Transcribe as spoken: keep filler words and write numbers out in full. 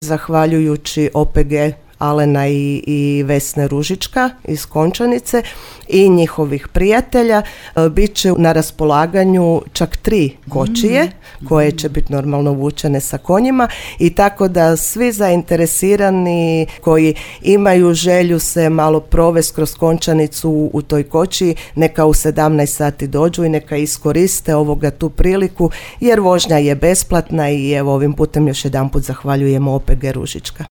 Zahvaljujući O P G Alena i, i Vesne Ružička iz Končanice i njihovih prijatelja bit će na raspolaganju čak tri kočije mm-hmm. koje će biti normalno vučene sa konjima i tako da svi zainteresirani koji imaju želju se malo provesti kroz Končanicu u, u toj kočiji, neka u sedamnaest sati dođu i neka iskoriste ovoga tu priliku jer vožnja je besplatna i evo ovim putem još jedanput zahvaljujemo O P G Ružička.